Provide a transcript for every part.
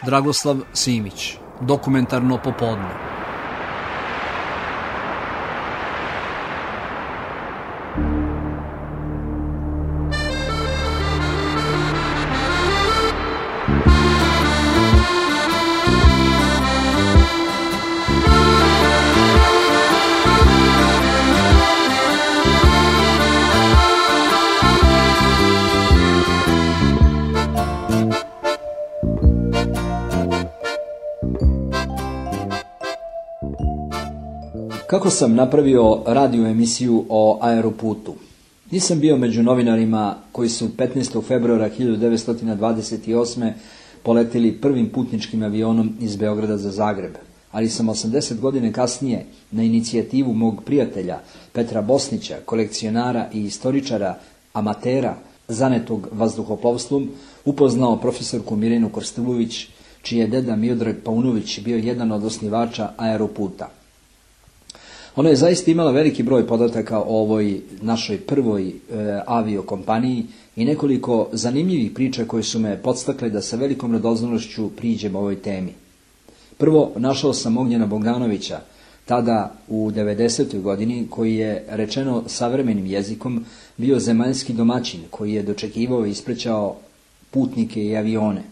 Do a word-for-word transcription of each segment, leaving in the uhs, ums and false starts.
Dragoslav Simić, Dokumentarno popodne. Kako sam napravio radio emisiju o aeroputu? Nisam bio među novinarima koji su petnaestog februara hiljadu devetsto dvadeset osme. poletili prvim putničkim avionom iz Beograda za Zagreb, ali sam osamdeset godina kasnije na inicijativu mog prijatelja Petra Bosnića, kolekcionara i istoričara, amatera, zanetog vazduhoplovstvom, upoznao profesorku Mirjanu Krstulović, čiji je deda Miodrag Paunović bio jedan od osnivača aeroputa. Ona je zaista imala veliki broj podataka o ovoj našoj prvoj e, aviokompaniji i nekoliko zanimljivih priča koje su me podstakle da sa velikom radoznalošću priđem ovoj temi. Prvo, našao sam Ognjena Bogdanovića, tada u devedesetoj godini, koji je, rečeno savremenim jezikom, bio zemaljski domaćin koji je dočekivao i isprećao putnike i avione.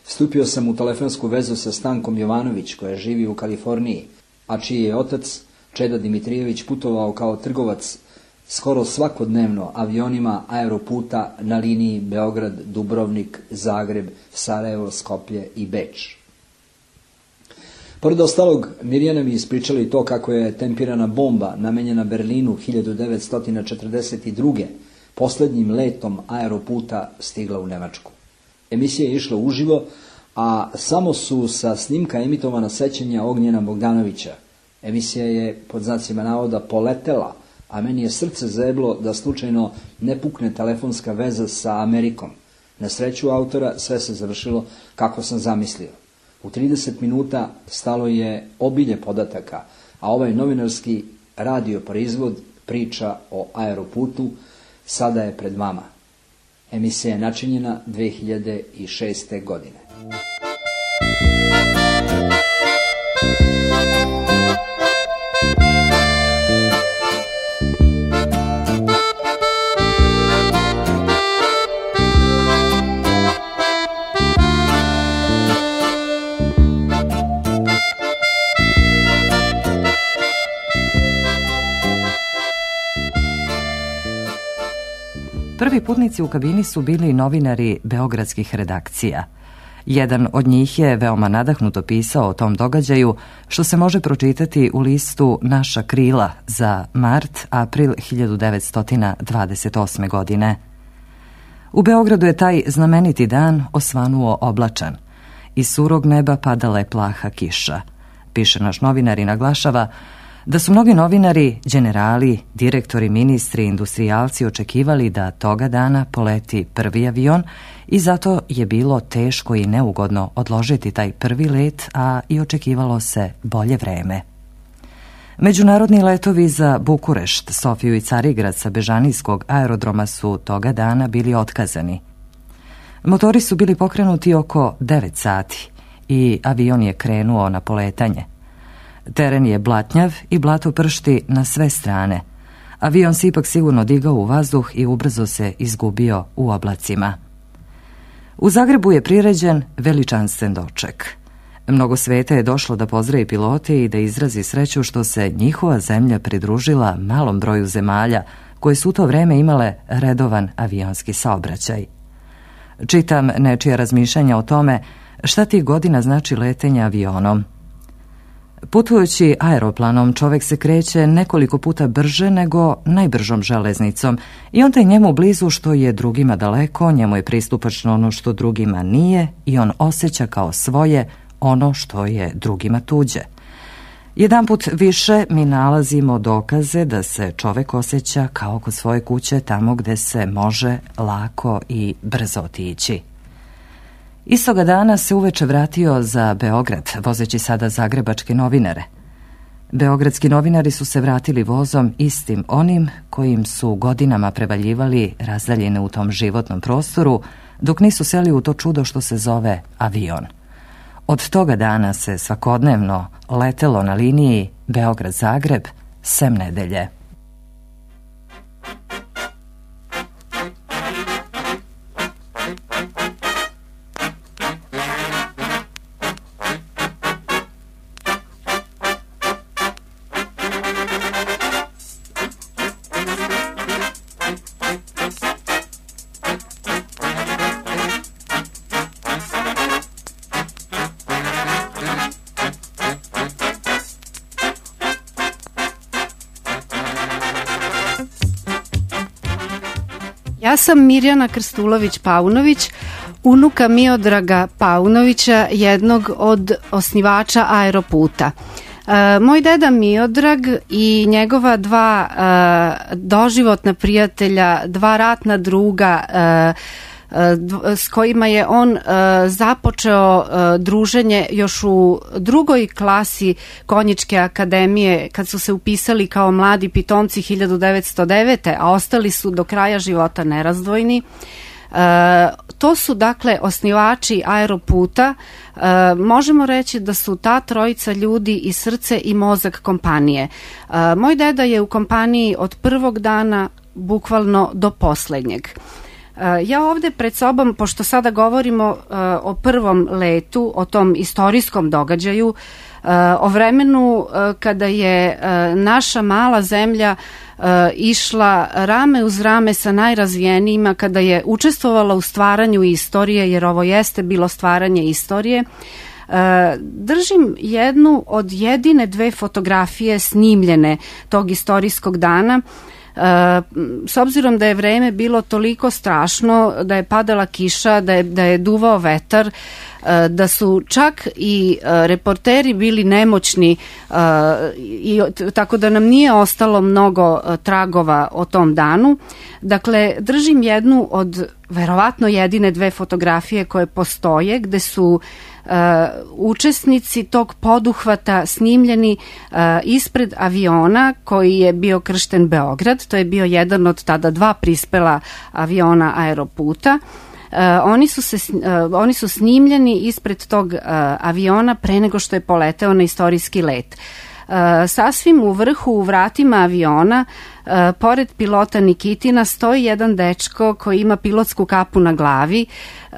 Stupio sam u telefonsku vezu sa Stankom Jovanović, koja živi u Kaliforniji, a čiji je otac Čeda Dimitrijević putovao kao trgovac skoro svakodnevno avionima aeroputa na liniji Beograd, Dubrovnik, Zagreb, Sarajevo, Skoplje i Beč. Pored ostalog, Mirjana mi ispričala i to kako je tempirana bomba namenjena Berlinu hiljadu devetsto četrdeset druge. posljednjim letom aeroputa stigla u Nemačku. Emisija je išla uživo, a samo su sa snimka emitovana sećanja Ognjena Bogdanovića. Emisija je, pod znacima navoda, poletela, a meni je srce zeblo da slučajno ne pukne telefonska veza sa Amerikom. Na sreću autora sve se završilo kako sam zamislio. U trideset minuta stalo je obilje podataka, a ovaj novinarski radio proizvod, priča o aeroputu, sada je pred vama. Emisija je načinjena dve hiljade šeste. godine. Prvi putnici u kabini su bili novinari beogradskih redakcija. Jedan od njih je veoma nadahnuto pisao o tom događaju, što se može pročitati u listu Naša krila za mart-april hiljadu devetsto dvadeset osme. godine. U Beogradu je taj znameniti dan osvanuo oblačan. Iz surog neba padala je plaha kiša. Piše naš novinar i naglašava da su mnogi novinari, generali, direktori, ministri, industrijalci očekivali da toga dana poleti prvi avion i zato je bilo teško i neugodno odložiti taj prvi let, a i očekivalo se bolje vreme. Međunarodni letovi za Bukurešt, Sofiju i Carigrad sa Bežanijskog aerodroma su toga dana bili otkazani. Motori su bili pokrenuti oko devet sati i avion je krenuo na poletanje. Teren je blatnjav i blato pršti na sve strane. Avion se ipak sigurno digao u vazduh i ubrzo se izgubio u oblacima. U Zagrebu je priređen veličanstven doček. Mnogo sveta je došlo da pozdravi pilote i da izrazi sreću što se njihova zemlja pridružila malom broju zemalja koje su u to vreme imale redovan avionski saobraćaj. Čitam nečija razmišljanja o tome šta tih godina znači letenje avionom. Putujući aeroplanom čovjek se kreće nekoliko puta brže nego najbržom železnicom i onda je njemu blizu što je drugima daleko, njemu je pristupačno ono što drugima nije i on osjeća kao svoje ono što je drugima tuđe. Jedanput više mi nalazimo dokaze da se čovjek osjeća kao kod svoje kuće, tamo gde se može lako i brzo otići. Istoga dana se uveče vratio za Beograd, vozeći sada zagrebačke novinare. Beogradski novinari su se vratili vozom istim onim kojim su godinama prevaljivali razdaljene u tom životnom prostoru, dok nisu seli u to čudo što se zove avion. Od toga dana se svakodnevno letelo na liniji Beograd-Zagreb sem nedelje. Ja sam Mirjana Krstulović-Paunović, unuka Miodraga Paunovića, jednog od osnivača Aeroputa. E, moj deda Miodrag i njegova dva e, doživotna prijatelja, dva ratna druga, e, s kojima je on započeo druženje još u drugoj klasi Konjičke akademije kad su se upisali kao mladi pitomci hiljadu devetsto devete. a ostali su do kraja života nerazdvojni. To su dakle osnivači Aeroputa. Možemo reći da su ta trojica ljudi i srce i mozak kompanije. Moj deda je u kompaniji od prvog dana bukvalno do poslednjeg. Ja ovde pred sobom, pošto sada govorimo uh, o prvom letu, o tom istorijskom događaju, uh, o vremenu uh, kada je uh, naša mala zemlja uh, išla rame uz rame sa najrazvijenijima, kada je učestvovala u stvaranju istorije, jer ovo jeste bilo stvaranje istorije, uh, držim jednu od jedine dve fotografije snimljene tog istorijskog dana. Uh, s obzirom da je vreme bilo toliko strašno, da je padala kiša, da je, da je duvao vetar, uh, da su čak i uh, reporteri bili nemoćni, uh, i, tako da nam nije ostalo mnogo uh, tragova o tom danu. Dakle, držim jednu od verovatno jedine dve fotografije koje postoje, gde su Uh, učesnici tog poduhvata snimljeni uh, ispred aviona koji je bio kršten Beograd. To je bio jedan od tada dva prispela aviona Aeroputa. Uh, oni, su se, uh, oni su snimljeni ispred tog uh, aviona pre nego što je poleteo na istorijski let. Uh, sasvim u vrhu, u vratima aviona, uh, pored pilota Nikitina, stoji jedan dečko koji ima pilotsku kapu na glavi. Uh,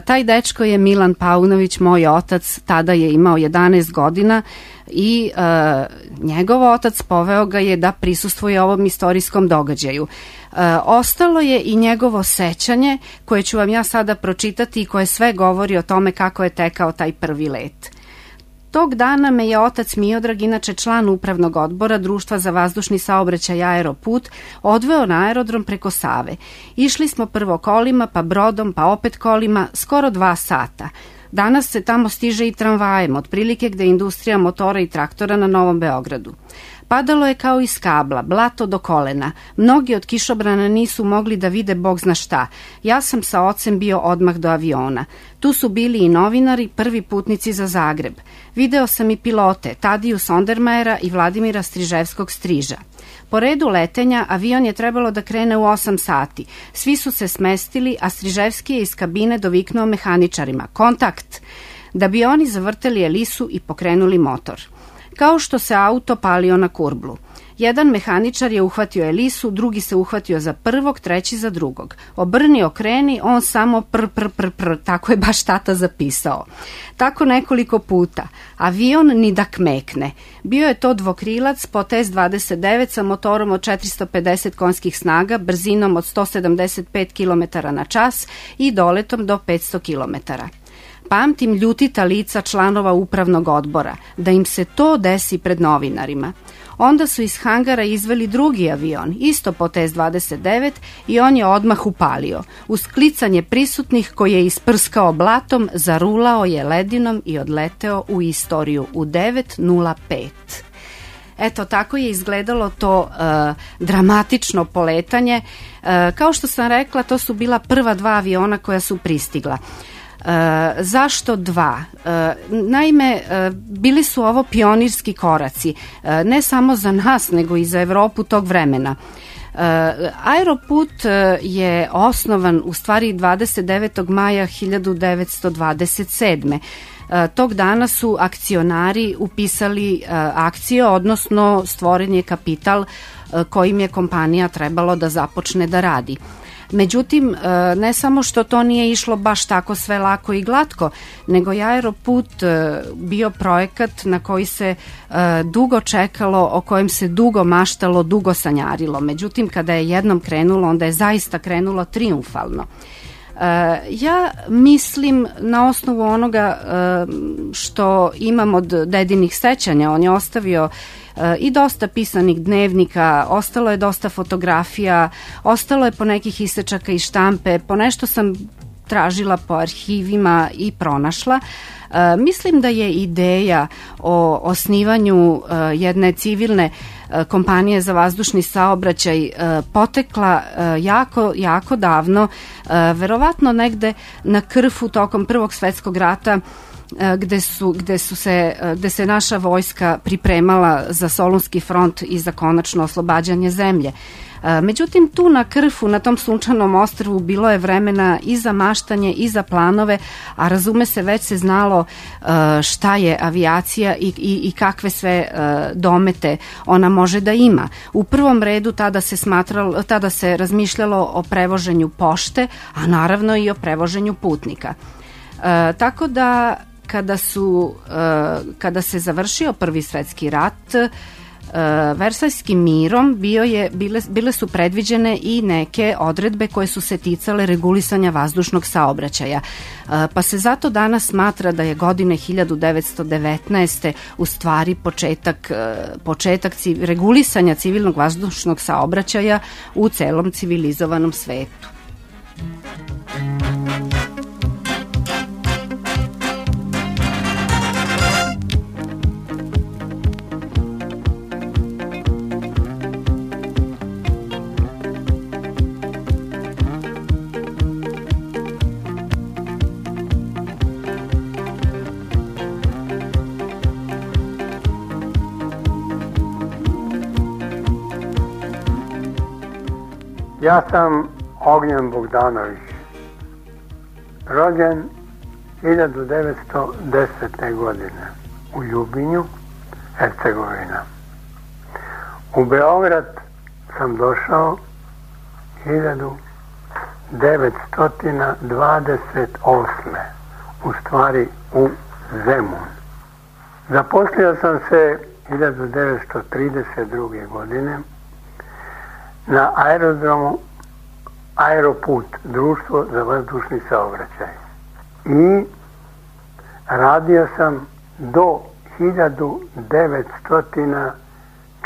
taj dečko je Milan Paunović, moj otac, tada je imao jedanaest godina i uh, njegov otac poveo ga je da prisustvuje ovom istorijskom događaju. Uh, ostalo je i njegovo sećanje koje ću vam ja sada pročitati i koje sve govori o tome kako je tekao taj prvi let. Tog dana me je otac Miodrag, inače član upravnog odbora Društva za vazdušni saobraćaj Aeroput, odveo na aerodrom preko Save. Išli smo prvo kolima, pa brodom, pa opet kolima, skoro dva sata. Danas se tamo stiže i tramvajem, otprilike gde je industrija motora i traktora na Novom Beogradu. Padalo je kao iz kabla, blato do kolena. Mnogi od kišobrana nisu mogli da vide bog zna šta. Ja sam sa ocem bio odmah do aviona. Tu su bili i novinari, prvi putnici za Zagreb. Video sam i pilote, Tadiju Sondermajera i Vladimira Striževskog Striža. Po redu letenja avion je trebalo da krene u osam sati. Svi su se smestili, a Striževski je iz kabine doviknuo mehaničarima. Kontakt! Da bi oni zavrteli elisu i pokrenuli motor. Kao što se auto palio na kurblu. Jedan mehaničar je uhvatio elisu, drugi se uhvatio za prvog, treći za drugog. Obrni, okreni, on samo pr, pr, pr, pr, tako je baš tata zapisao. Tako nekoliko puta. Avion ni da kmekne. Bio je to dvokrilac Potez dvadeset devet sa motorom od četiristo pedeset konjskih snaga, brzinom od sto sedamdeset pet kilometara na čas i doletom do petsto kilometara. Pamtim ljutita lica članova upravnog odbora, da im se to desi pred novinarima. Onda su iz hangara izveli drugi avion, isto Potez dvadeset devet, i on je odmah upalio. Uz klicanje prisutnih koji je isprskao blatom, zarulao je ledinom i odleteo u istoriju u devet nula pet. Eto, tako je izgledalo to uh, dramatično poletanje. Uh, kao što sam rekla, to su bila prva dva aviona koja su pristigla. Uh, zašto dva? Uh, naime, uh, bili su ovo pionirski koraci, uh, ne samo za nas, nego i za Evropu tog vremena. Uh, Aeroput uh, je osnovan u stvari dvadeset devetog maja hiljadu devetsto dvadeset sedme. Tog dana su akcionari upisali akcije, odnosno stvoren je kapital kojim je kompanija trebalo da započne da radi. Međutim, ne samo što to nije išlo baš tako sve lako i glatko, nego je Aeroput bio projekat na koji se dugo čekalo, o kojem se dugo maštalo, dugo sanjarilo. Međutim, kada je jednom krenulo, onda je zaista krenulo triumfalno. Ja mislim, na osnovu onoga što imam od dedinih sećanja, on je ostavio i dosta pisanih dnevnika, ostalo je dosta fotografija, ostalo je po nekih isečaka i štampe, po nešto sam tražila po arhivima i pronašla. Mislim da je ideja o osnivanju jedne civilne kompanije za vazdušni saobraćaj potekla jako, jako davno, verovatno negde na Krfu tokom Prvog svetskog rata, gde su, gde su se, gde se naša vojska pripremala za Solunski front i za konačno oslobađanje zemlje. Međutim, tu na Krfu, na tom sunčanom ostrvu, bilo je vremena i za maštanje i za planove, a razume se, već se znalo šta je avijacija i, i, i kakve sve domete ona može da ima. U prvom redu tada se smatralo, tada se razmišljalo o prevoženju pošte, a naravno i o prevoženju putnika. Tako da kada su, kada se završio Prvi svetski rat, Versajskim mirom bio je, bile, bile su predviđene i neke odredbe koje su se ticale regulisanja vazdušnog saobraćaja. Pa se zato danas smatra da je godine hiljadu devetsto devetnaeste u stvari početak, početak civ, regulisanja civilnog vazdušnog saobraćaja u celom civilizovanom svetu. Ja sam Ognjen Bogdanović, rođen hiljadu devetsto desete. godine u Ljubinju, Hercegovina. U Beograd sam došao hiljadu devetsto dvadeset osme. u stvari u Zemun. Zaposlio sam se hiljadu devetsto trideset druge. godine na aerodromu Aeroput, društvo za vazdušni saobraćaj. I radio sam do hiljadu devetsto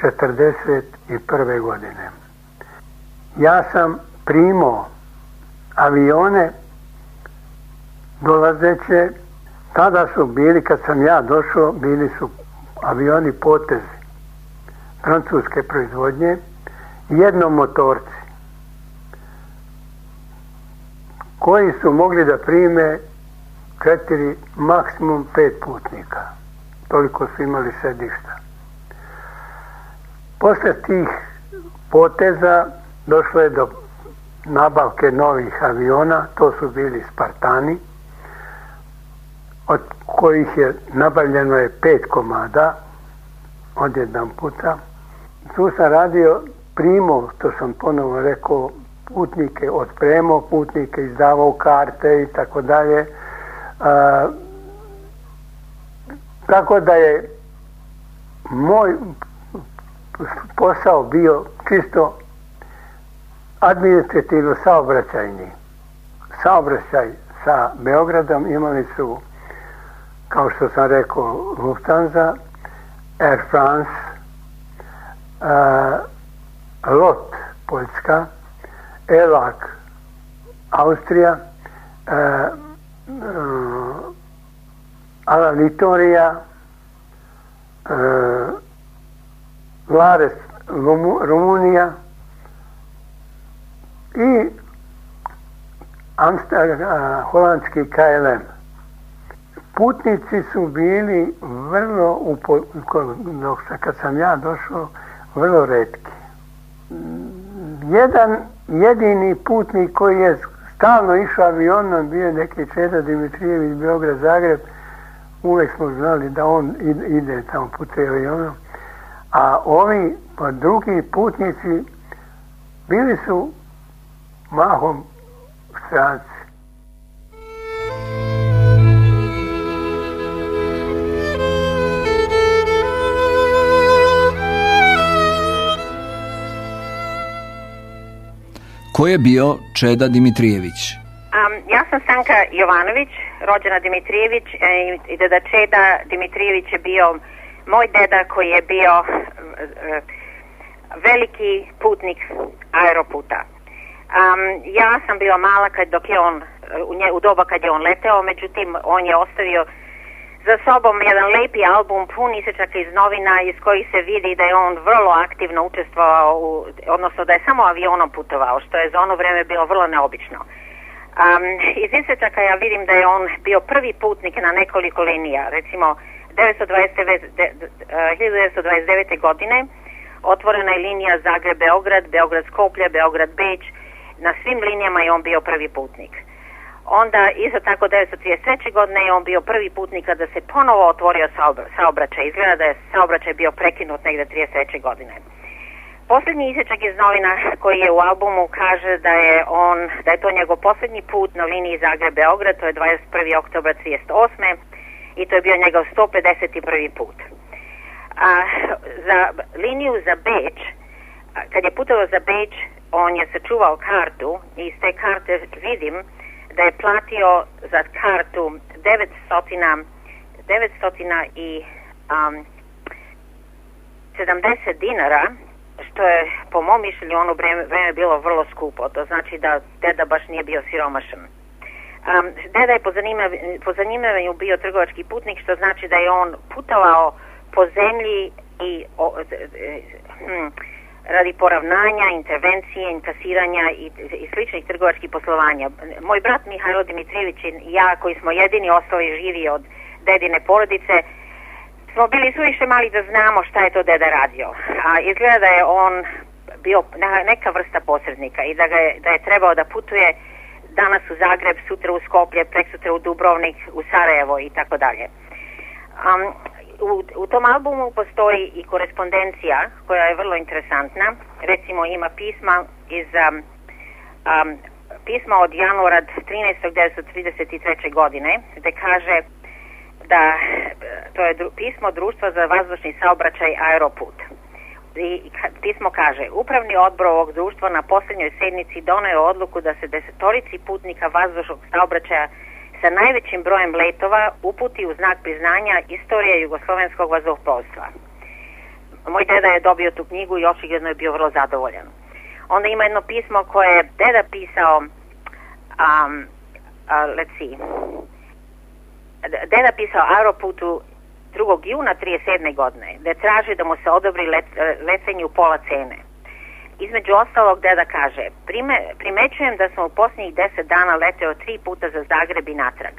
četrdeset prve. godine. Ja sam primao avione dolazeće, tada su bili, kad sam ja došao, bili su avioni Potezi, francuske proizvodnje, jednomotorci, koji su mogli da prime četiri, maksimum pet putnika. Toliko su imali sedišta. Posle tih poteza došlo je do nabavke novih aviona, to su bili Spartani, od kojih je nabavljeno je pet komada od jedan puta. Tu sam radio, primao, to sam ponovo rekao, putnike, otpremao putnike, izdavao karte i tako dalje. Tako da je moj posao bio čisto administrativno saobraćajni. Saobraćaj sa Beogradom imali su, kao što sam rekao, Lufthansa, Air France, uh, Lot, Poljska, Elag, Austrija, uh, uh, Alalitorija, uh, Lares, Rumunija i Amsterdam, uh, holandski K L M. Putnici su bili vrlo, upo, dok sam, kad sam ja došao, vrlo retki. Jedan jedini putnik koji je stalno išao avionom bio neki Čeda Dimitrijević, Beograd, Zagreb, uvek smo znali da on ide tamo putem avionom, a ovi pa drugi putnici bili su mahom stranci. Ko je bio Čeda Dimitrijević? Um, ja sam Stanka Jovanović, rođena Dimitrijević, e, i deda Čeda Dimitrijević je bio moj deda koji je bio e, veliki putnik aeroputa. Um, ja sam bila mala kad, dok je on, u, nje, u doba kad je on leteo, međutim on je ostavio za sobom jedan lepi album pun isečaka iz novina iz kojih se vidi da je on vrlo aktivno učestvovao, u, odnosno da je samo avionom putovao, što je za ono vreme bilo vrlo neobično. Um, iz isečaka ja vidim da je on bio prvi putnik na nekoliko linija. Recimo, hiljadu devetsto dvadeset devete. godine otvorena je linija Zagreb-Beograd, Beograd-Skoplje, Beograd-Beč. Na svim linijama je on bio prvi putnik. Onda, isto tako, devetsto trideset treće. godine je on bio prvi putnik kada se ponovo otvorio saobraćaj. Izgleda da je saobraćaj bio prekinut negde trideset treće. godine. Posljednji isječak iz novina koji je u albumu kaže da je on, da je to njegov posljednji put na liniji Zagreb-Beograd, to je dvadeset prvog oktobra trideset osme. i to je bio njegov sto pedeset prvi put. A za liniju za Beč, kad je putovao za Beč, on je sačuvao kartu i iz te karte vidim da je platio za kartu devetsto sedamdeset dinara, što je po mom mišljenju ono vreme, vreme bilo vrlo skupo. To znači da deda baš nije bio siromašan. Um, deda je po, zanima, po zanimanju bio trgovački putnik, što znači da je on putovao po zemlji i o, hm, radi poravnanja, intervencije, inkasiranja i, i sličnih trgovačkih poslovanja. Moj brat Mihajlo Dimitrijević i ja, koji smo jedini ostali živi od dedine porodice, smo bili suviše mali da znamo šta je to deda radio. A izgleda da je on bio neka vrsta posrednika i da, ga je, da je trebao da putuje danas u Zagreb, sutra u Skoplje, preksutra u Dubrovnik, u Sarajevo i tako dalje. Um, u, u tom albumu postoji i korespondencija koja je vrlo interesantna. Recimo ima pisma iz um, um, pisma od januara trinaestog devetsto trideset treće. godine, gde kaže da to je dru, pismo Društva za vazdušni saobraćaj Aeroput. I pismo kaže: Upravni odbor ovog društva na posljednjoj sednici doneo odluku da se desetorici putnika vazdušnog saobraćaja sa najvećim brojem letova uputi u znak priznanja istorije jugoslovenskog vazduhoplovstva. Moj deda je dobio tu knjigu i očigledno je bio vrlo zadovoljan. Onda ima jedno pismo koje je deda pisao, um, uh, let's see, deda pisao Aeroputu drugog juna trideset sedme. godine, da traži da mu se odobri let, letenje u pola cene. Između ostalog, deda kaže: Prime, primećujem da sam u posljednjih deset dana leteo tri puta za Zagreb i natrag.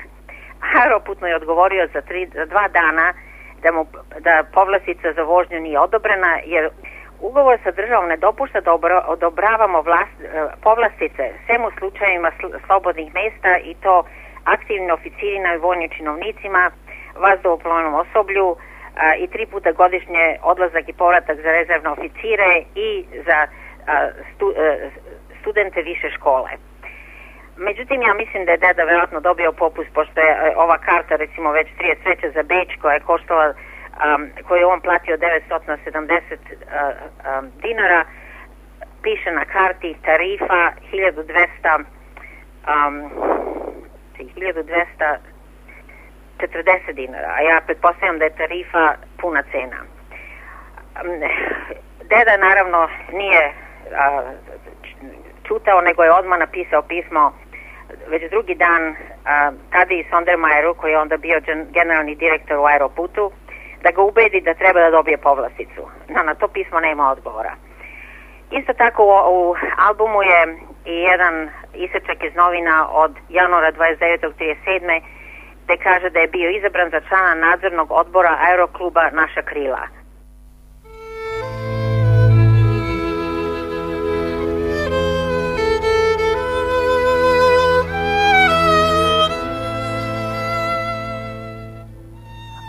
Aeroput mu je odgovorio za, tri, za dva dana da, mu, da povlastica za vožnju nije odobrena, jer ugovor sa državom ne dopušta da odobravamo vlast, povlastice sem u slučajevima sl, slobodnih mesta, i to aktivnim oficirima i vojnim činovnicima, vazduhoplovnom osoblju a, i tri puta godišnje odlazak i povratak za rezervne oficire i za a, stu, a, studente više škole. Međutim, ja mislim da je deda vjerojatno dobio popust, pošto je a, ova karta recimo već trideset treće. za Beč, koja je koštala, um, koju je on platio devetsto sedamdeset a, a, dinara, piše na karti tarifa hiljadu dvesta um, hiljadu dvesta četrdeset dinara, a ja pretpostavljam da je tarifa puna cena. Deda naravno nije a, čutao, nego je odmah napisao pismo već drugi dan a, Tadiji Sondermajeru, koji je onda bio generalni direktor u Aeroputu, da ga ubedi da treba da dobije povlasticu. No, na to pismo nema odgovora. Isto tako u, u albumu je i jedan isečak iz novina od januara dvadeset devetog trideset sedme. gde kaže da je bio izabran za člana nadzornog odbora Aerokluba Naša krila.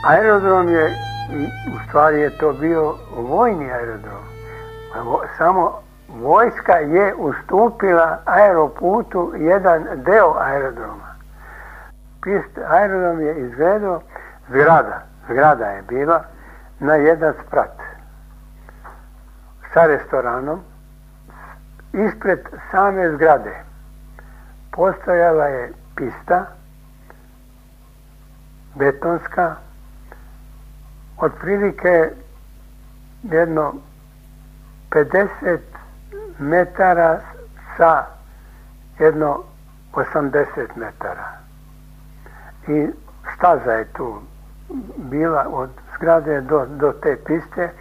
Aerodrom je, u stvari je to bio vojni aerodrom. Samo vojska je ustupila Aeroputu jedan deo aerodroma. Pist, aerodrom je izgledao zgrada, zgrada je bila na jedan sprat sa restoranom. Ispred same zgrade postojala je pista betonska, otprilike jedno pedeset metara sa jedno osamdeset metara. I staza je tu bila od zgrade do, do te piste.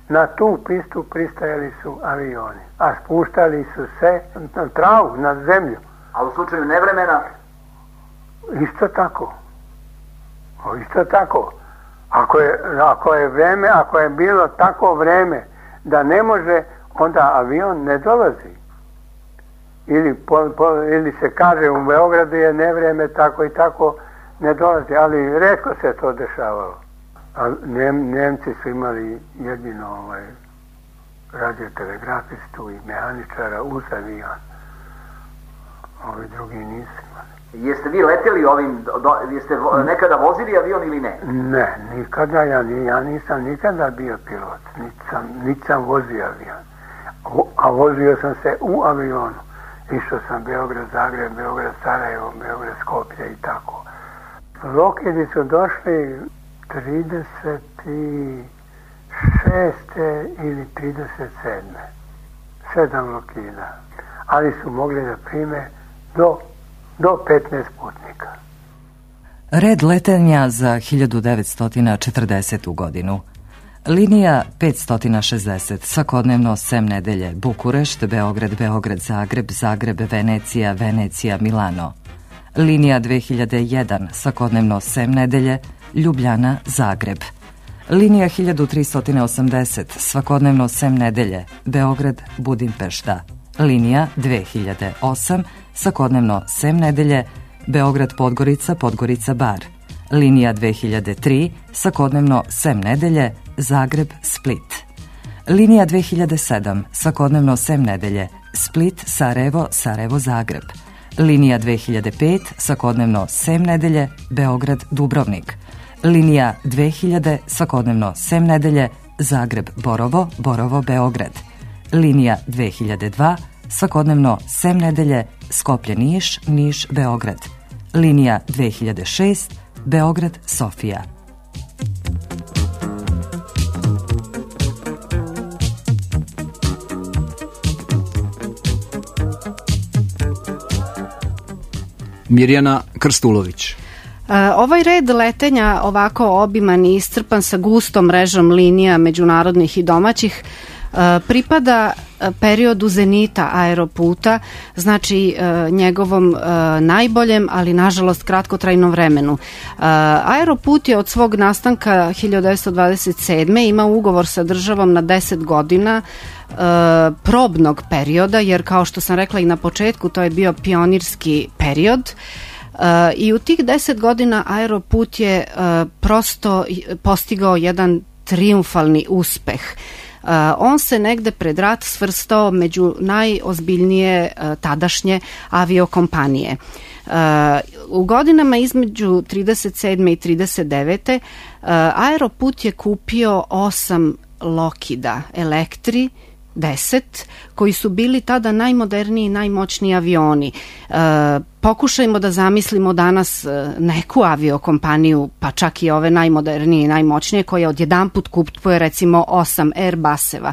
Na tu pistu pristajali su avioni, a spuštali su se na travu, na zemlju. A u slučaju nevremena? Isto tako. O, isto tako. Ako je, ako je vreme, ako je bilo tako vreme da ne može, onda avion ne dolazi. Ili, po, po, ili se kaže u Beogradu je nevreme, tako i tako ne dolazi, ali retko se to dešavalo. A Njem, Njemci su imali jedino ovaj, radiotelegrafistu i mehaničara uz avion. Ovi drugi nisu imali. Jeste vi letjeli ovim, do, jeste nekada vozili avion ili ne? Ne, nikada, ja, ja nisam nikada bio pilot, nisam, nisam vozio avion. A vozio sam se u avionu. Išao sam Beograd, Zagreb, Beograd, Sarajevo, Beograd, Skoplje i tako. Lokidi su došli trideset šeste ili trideset sedme Sedam Lokida. Ali su mogli da prime do, do petnaest putnika. Red letenja za hiljadu devetsto četrdesetu godinu. Linija petsto šezdeset, svakodnevno sem nedelje, Bukurešt, Beograd, Beograd, Zagreb, Zagreb, Venecija, Venecija, Milano. Linija dve hiljade jedan, svakodnevno sem nedelje, Ljubljana, Zagreb. Linija hiljadu tristo osamdeset, svakodnevno sem nedelje, Beograd, Budimpešta. Linija dve hiljade osam, svakodnevno sem nedelje, Beograd, Podgorica, Podgorica, Bar. Linija dve hiljade tri, svakodnevno sem nedelje, Zagreb, Split. Linija dve hiljade sedam, svakodnevno sem nedelje, Split, Sarajevo, Sarajevo, Zagreb. Linija dve hiljade pet, svakodnevno sem nedelje, Beograd, Dubrovnik. Linija dve hiljade, svakodnevno sem nedelje, Zagreb, Borovo, Borovo, Beograd. Linija dve hiljade dva, svakodnevno sem nedelje, Skoplje, Niš, Niš, Beograd. Linija dve hiljade šest, Beograd, Sofija. Mirjana Krstulović. Ovaj red letenja, ovako obiman i iscrpan sa gustom mrežom linija međunarodnih i domaćih, pripada periodu zenita Aeroputa, znači njegovom najboljem, ali nažalost kratkotrajnom vremenu. Aeroput je od svog nastanka hiljadu devetsto dvadeset sedme imao ugovor sa državom na deset godina probnog perioda, jer kao što sam rekla i na početku, to je bio pionirski period. I u tih deset godina Aeroput je prosto postigao jedan triumfalni uspeh. Uh, on se negde pred rat svrstao među najozbiljnije uh, tadašnje aviokompanije. Uh, u godinama između trideset sedme i trideset devete Uh, Aeroput je kupio osam Lockheeda Electri deset, koji su bili tada najmoderniji i najmoćniji avioni. E, pokušajmo da zamislimo danas neku aviokompaniju, pa čak i ove najmodernije i najmoćnije, koja odjedanput kupuje recimo osam Airbuseva.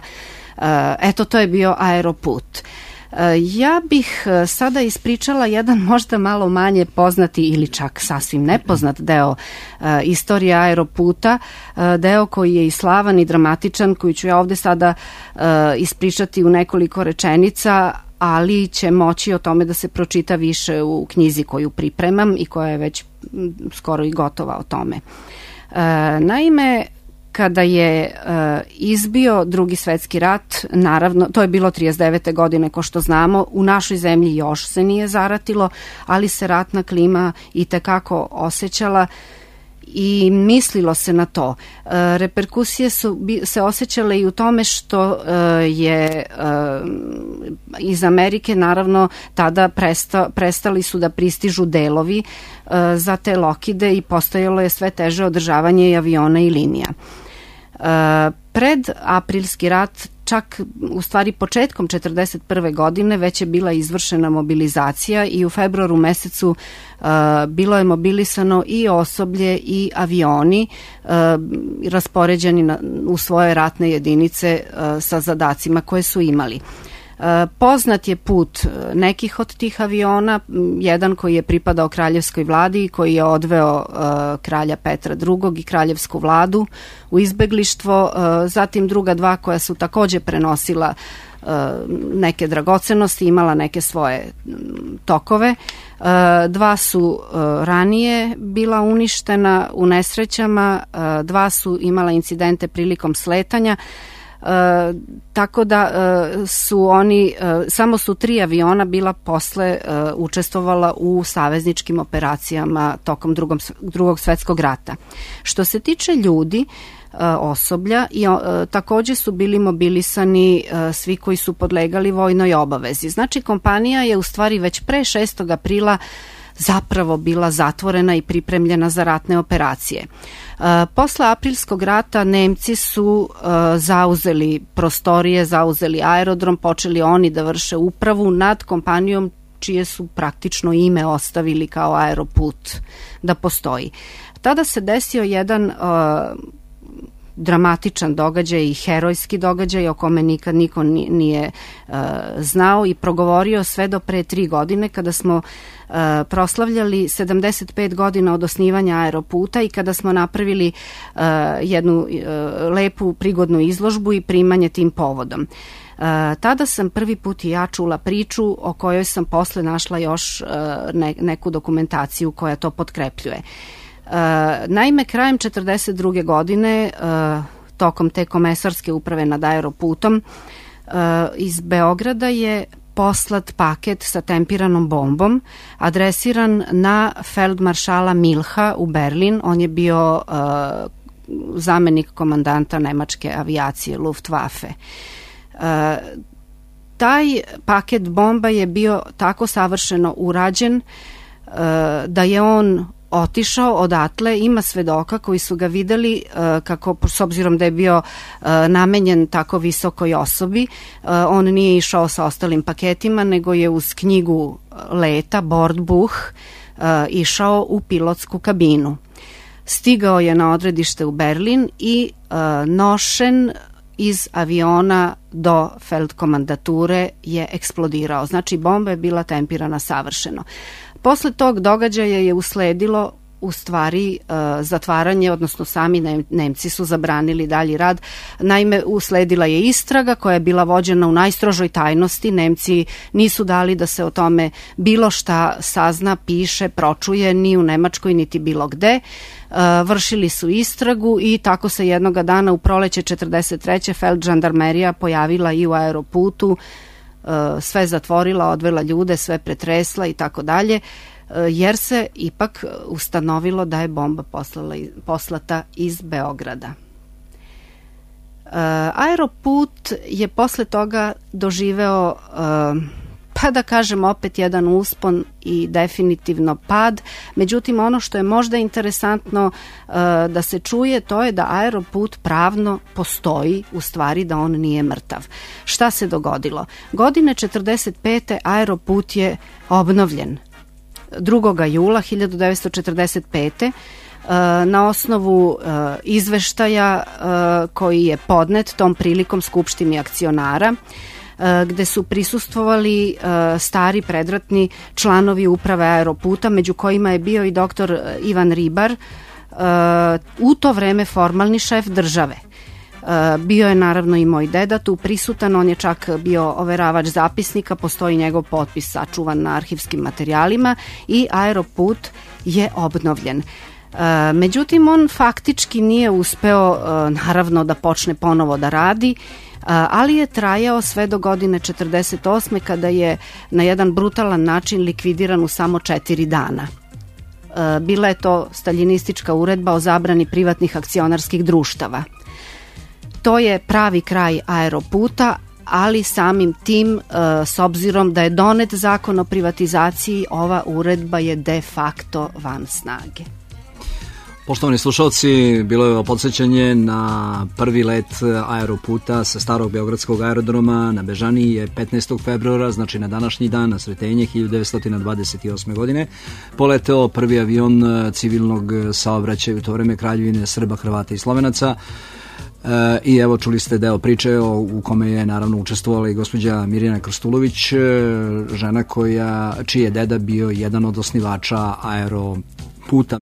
E, eto, to je bio Aeroput. Ja bih sada ispričala jedan možda malo manje poznati ili čak sasvim nepoznat deo istorije Aeroputa, deo koji je i slavan i dramatičan, koji ću ja ovde sada ispričati u nekoliko rečenica, ali će moći o tome da se pročita više u knjizi koju pripremam i koja je već skoro i gotova o tome. Naime, kada je uh, izbio Drugi svetski rat, naravno, to je bilo trideset devete godine, ko što znamo, u našoj zemlji još se nije zaratilo, ali se ratna klima i tekako osjećala i mislilo se na to. E, reperkusije su se osjećale i u tome što e, je e, iz Amerike naravno tada presta, prestali su da pristižu delovi e, za te Lockheede i postojalo je sve teže održavanje i aviona i linija. E, pred aprilski rat, čak u stvari početkom četrdeset prve godine već je bila izvršena mobilizacija i u februaru mesecu uh, bilo je mobilisano i osoblje i avioni uh, raspoređeni na, u svoje ratne jedinice uh, sa zadacima koje su imali. Poznat je put nekih od tih aviona, jedan koji je pripadao kraljevskoj vladi i koji je odveo uh, kralja Petra drugog i kraljevsku vladu u izbeglištvo, uh, zatim druga dva koja su takođe prenosila uh, neke dragocenosti, imala neke svoje tokove. Uh, dva su uh, ranije bila uništena u nesrećama, uh, dva su imala incidente prilikom sletanja. Uh, tako da uh, su oni, uh, samo su tri aviona bila posle uh, učestvovala u savezničkim operacijama tokom drugom, drugog svetskog rata. Što se tiče ljudi, uh, osoblja, i, uh, takođe su bili mobilisani uh, svi koji su podlegali vojnoj obavezi. Znači, kompanija je u stvari već pre šestog aprila zapravo bila zatvorena i pripremljena za ratne operacije. Uh, posle aprilskog rata Nemci su uh, zauzeli prostorije, zauzeli aerodrom, počeli oni da vrše upravu nad kompanijom čije su praktično ime ostavili kao aeroput da postoji. Tada se desio jedan uh, dramatičan događaj i herojski događaj o kome nikad niko nije uh, znao i progovorio sve do pre tri godine kada smo uh, proslavljali sedamdeset pet godina od osnivanja aeroputa i kada smo napravili uh, jednu uh, lepu prigodnu izložbu i primanje tim povodom. Uh, tada sam prvi put i ja čula priču o kojoj sam posle našla još uh, ne, neku dokumentaciju koja to potkrepljuje. Uh, naime, krajem četrdeset druge godine, uh, tokom te komesarske uprave nad aeroputom, uh, iz Beograda je poslat paket sa tempiranom bombom, adresiran na feldmaršala Milha u Berlin. On je bio uh, zamenik komandanta nemačke avijacije Luftwaffe. Uh, taj paket bomba je bio tako savršeno urađen uh, da je on otišao odatle, ima svedoka koji su ga videli uh, kako, s obzirom da je bio uh, namenjen tako visokoj osobi, uh, on nije išao sa ostalim paketima, nego je uz knjigu leta, Bordbuch, uh, išao u pilotsku kabinu. Stigao je na odredište u Berlin i uh, nošen iz aviona do feldkomandature je eksplodirao. Znači, bomba je bila tempirana savršeno. Posle tog događaja je usledilo u stvari uh, zatvaranje, odnosno sami ne, Nemci su zabranili dalji rad. Naime, usledila je istraga koja je bila vođena u najstrožoj tajnosti. Nemci nisu dali da se o tome bilo šta sazna, piše, pročuje ni u Nemačkoj niti bilo gde. Uh, vršili su istragu i tako se jednoga dana u proleće četrdeset treće feldžandarmerija pojavila i u aeroputu, uh, sve zatvorila, odvela ljude, sve pretresla i tako dalje, jer se ipak ustanovilo da je bomba poslala, poslata iz Beograda. Uh, aeroput je posle toga doživeo, uh, pa da kažem opet, jedan uspon i definitivno pad. Međutim, ono što je možda interesantno uh, da se čuje, to je da aeroput pravno postoji, u stvari da on nije mrtav. Šta se dogodilo? Godine četrdeset pete aeroput je obnovljen. drugog jula hiljadu devetsto četrdeset pete na osnovu izveštaja koji je podnet tom prilikom Skupštini akcionara, gde su prisustvovali stari predratni članovi uprave aeroputa, među kojima je bio i doktor Ivan Ribar, u to vreme formalni šef države. Bio je naravno i moj deda tu prisutan, on je čak bio overavač zapisnika, postoji njegov potpis sačuvan na arhivskim materijalima i aeroput je obnovljen. Međutim, on faktički nije uspeo naravno da počne ponovo da radi, ali je trajao sve do godine četrdeset osme kada je na jedan brutalan način likvidiran u samo četiri dana. Bila je to staljinistička uredba o zabrani privatnih akcionarskih društava. To je pravi kraj aeroputa, ali samim tim, s obzirom da je donet zakon o privatizaciji, ova uredba je de facto van snage. Poštovani slušalci, bilo je ovo podsjećanje na prvi let aeroputa sa starog beogradskog aerodroma na Bežaniji je petnaestog februara, znači na današnji dan, na Sretenje hiljadu devetsto dvadeset osme. godine, poleteo prvi avion civilnog saobraćaja u to vreme Kraljevine Srba, Hrvata i Slovenaca. E, I evo čuli ste deo priče o, u kome je naravno učestvovala i gospođa Mirjana Krstulović, žena koja, čiji je deda bio jedan od osnivača aeroputa.